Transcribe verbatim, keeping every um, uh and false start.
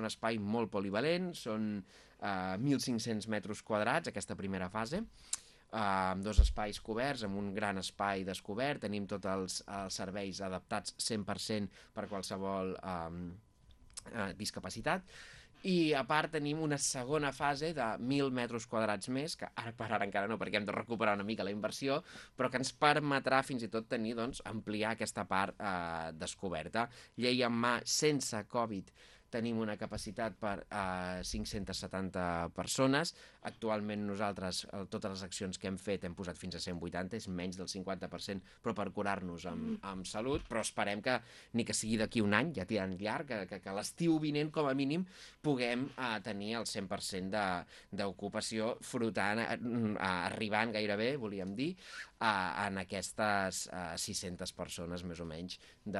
un espai molt polivalent, són uh, mil cinc-cents metres quadrats aquesta primera fase, uh, amb dos espais coberts, amb un gran espai descobert, tenim tots els, els serveis adaptats cent per cent per qualsevol um, uh, discapacitat, i a part tenim una segona fase de mil metres quadrats més, que ara per ara encara no, perquè hem de recuperar una mica la inversió, però que ens permetrà fins i tot tenir, doncs, ampliar aquesta part eh, descoberta. Llei en mà sense Covid tenim una capacitat per a eh, cinc-centes setanta persones. Actualment nosaltres, eh, totes les accions que hem fet, hem posat fins a cent vuitanta, és menys del cinquanta per cent, però per curar-nos amb, amb salut, però esperem que ni que sigui d'aquí un any, ja tirant llarg, que, que, que l'estiu vinent, com a mínim, puguem eh, tenir el cent per cent d'ocupació frotant, eh, arribant gairebé, volíem dir, eh, en aquestes eh, sis-centes persones, més o menys, de